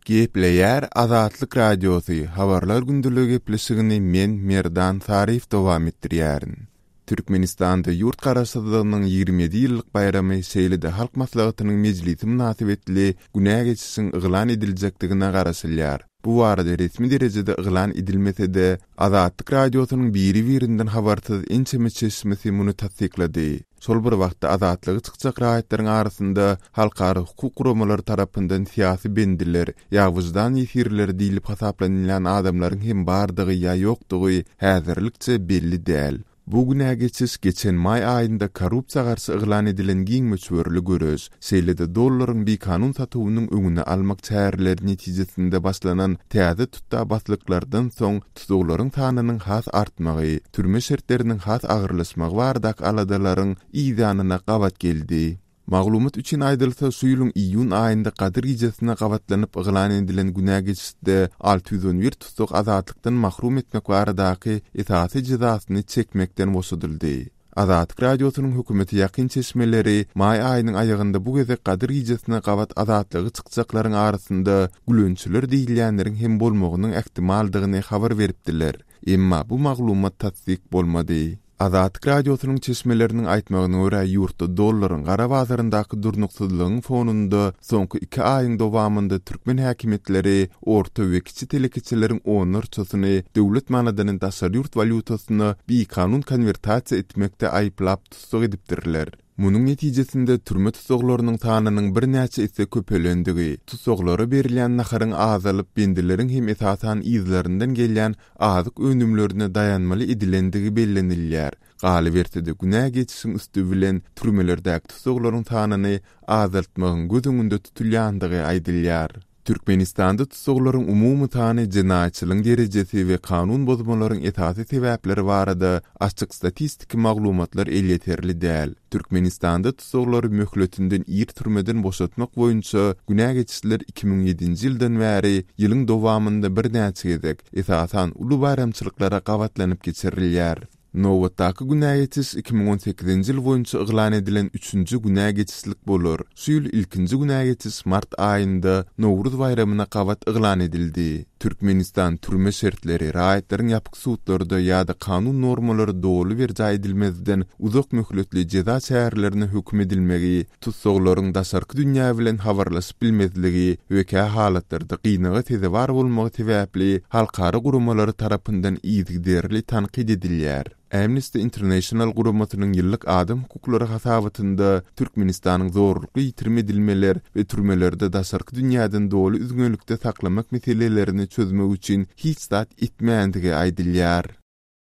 Gepleýär Azatlyk Radiosy, Habarlar gündeligi gepleşigini men, Merdan Saryýew dowam etdirýärin. Türkmenistanda ýurt Garaşsyzlygynyň 27 ýyllyk baýramy, şeýle-de Halk Maslahatynyň mejlisi mynasybetli günä geçişiň yglan ediljekdigine garaşylýar. Bu barada resmi derejede yglan edilmese-de, Azatlyk Radiosynyň biri-birinden habarsyz ençeme çeşmesi muny tassyklady. Şol bir wagtda, azatlyga çykjak raýatlaryň arasynda halkara hukuk guramalary tarapyndan syýasy bendiler ýa wyždan ýesirleri diýlip hasaplanylýan adamlaryň hem bardygy ýa ýokdugy häzirlikçe belli däl. Bu günä geçiş geçen maý aýynda korrupsiýa garşy yglan edilen giň möçberli göreş, şeýle-de dollaryň bikanun satuwynyň öňüni almak çäreleri netijesinde başlanan täze tutda-baslyklardan soň tussaglaryň sanynyň has artmagy, türme şertleriniň has agyrlaşmagy baradaky aladalaryň yzýanyna gabat geldi. Maglumat üçin aýdylsa, şu ýylyň iýun aýynda Gadyr gijesine gabatlanyp yglan edilen günä geçişde 611 tussag azatlykdan mahrum etmek baradaky esasy jezasyny çekmekden boşadyldy. Azatlyk Radiosynyň hökümete ýakyn çeşmeleri maý aýynyň aýagynda bu gezek Gadyr gijesine gabat azatlyga çykjaklaryň arasynda gülençiler diýilýänleriň hem bolmagynyň ähtimaldygyny habar beripdiler. Emma bu maglumat tassyk bolmady. Azatlyk Radiosynyň çeşmeleriniň aýtmagyna görä, ýurtda dollaryň gara bazaryndaky durnuksyzlygyň fonunda soňky iki aýyň dowamynda türkmen häkimiýetleri orta we kiçi telekeçileriň onlarçasyny döwlet manadyny daşary ýurt walýutasyna bikanun konwertasiýa etmekde aýyplap tussag edipdirler. Munuň netijesinde türme tussaglarynyň sanynyň birnäçe esse köpelendigi, tussaglara berilýän naharyň azalyp, bendileriň hem esasan yzlaryndan gelýän azyk önümlerine daýanmaly edilendigi bellenilýär. Galyberse-de, günä geçişiň üsti bilen türmelerdäki tussaglaryň sanyny azaltmagyň göz öňünde tutulýandygy aýdylýar. Türkmenistanda tussaglaryň umumy sany, jenaýatçylygyň derejesi we kanun bozmalaryň esasy sebäpleri barada açyk statistiki maglumatlar elýeterli däl. Türkmenistanda tussaglary möhletinden ir türmeden boşatmak boýunça günä geçişler 2007-nji ýyldan bäri ýylyň dowamynda birnäçe gezek, esasan, uly baýramçylyklara gabatlanyp geçirilýär. Nobatdaky günä geçiş 2018-nji ýyl boýunça yglan edilen üçünji günä geçişlik bolar. Şu ýyl ilkinji günä geçiş mart aýynda Nowruz baýramyna gabat yglan edildi. Türkmenistan türme şertleri, raýatlaryň ýapyk sudlarda ýa-da kanun normalary doly berjaý edilmezden uzak möhletli jeza çärelerine höküm edilmegi, tussaglaryň daşarky dünýä bilen habarlaşyp bilmezligi we kä halatlarda gynaga sezewar bolmagy sebäpli halkara guramalary tarapyndan yzygiderli tankyt edilýär. Amnesty International guramasynyň ýyllyk adam hukuklary hasabatynda Türkmenistanyň zorlukly ýitirim edilmeler we türmelerde daşarky dünýäden doly üzňelikde saklamak meselelerini çözmek üçin hiç zat etmändigi aýdylýar.